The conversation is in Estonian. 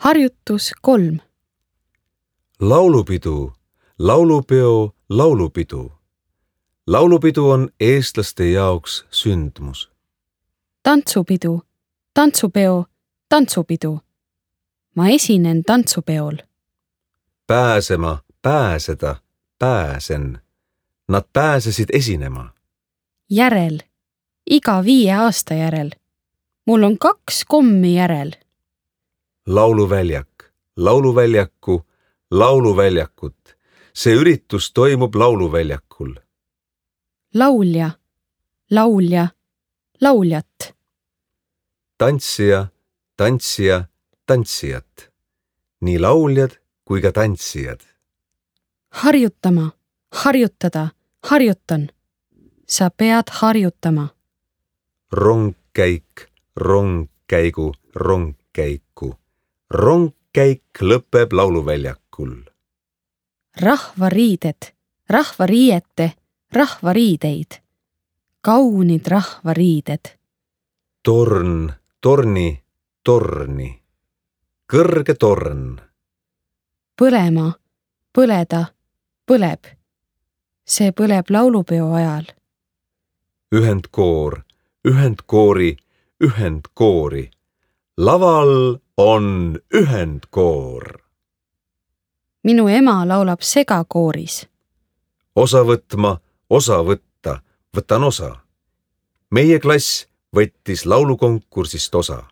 Harjutus 3. Laulupidu, laulupeo, laulupidu. Laulupidu on eestlaste jaoks sündmus. Tantsupidu, tantsupeo, tantsupidu. Ma esinen tantsupeol. Pääsema, pääseda, pääsen. Nad pääsesid esinema. Järel, iga 5 aasta järel. Mul on 2 kommi järel. Lauluväljak, lauluväljaku, lauluväljakut. See üritus toimub lauluväljakul. Laulja, laulja, lauljat. Tantsija, tantsija, tantsijat. Nii lauljad kui ka tantsijad. Harjutama, harjutada, harjutan. Sa pead harjutama. Rongkäik, rongkäigu, rongkäiku. Rongkäik lõpeb lauluväljakul. Rahvariided, rahvariiete, rahvariideid. Kaunid rahvariided. Torn, torni, torni. Kõrge torn. Põlema, põleda, põleb. See põleb laulupeo ajal. Ühendkoor, ühendkoori, ühendkoori. Laval on ühendkoor. Minu ema laulab segakooris. Osa võtma, osa võtta, võtan osa. Meie klass võttis laulukonkursist osa.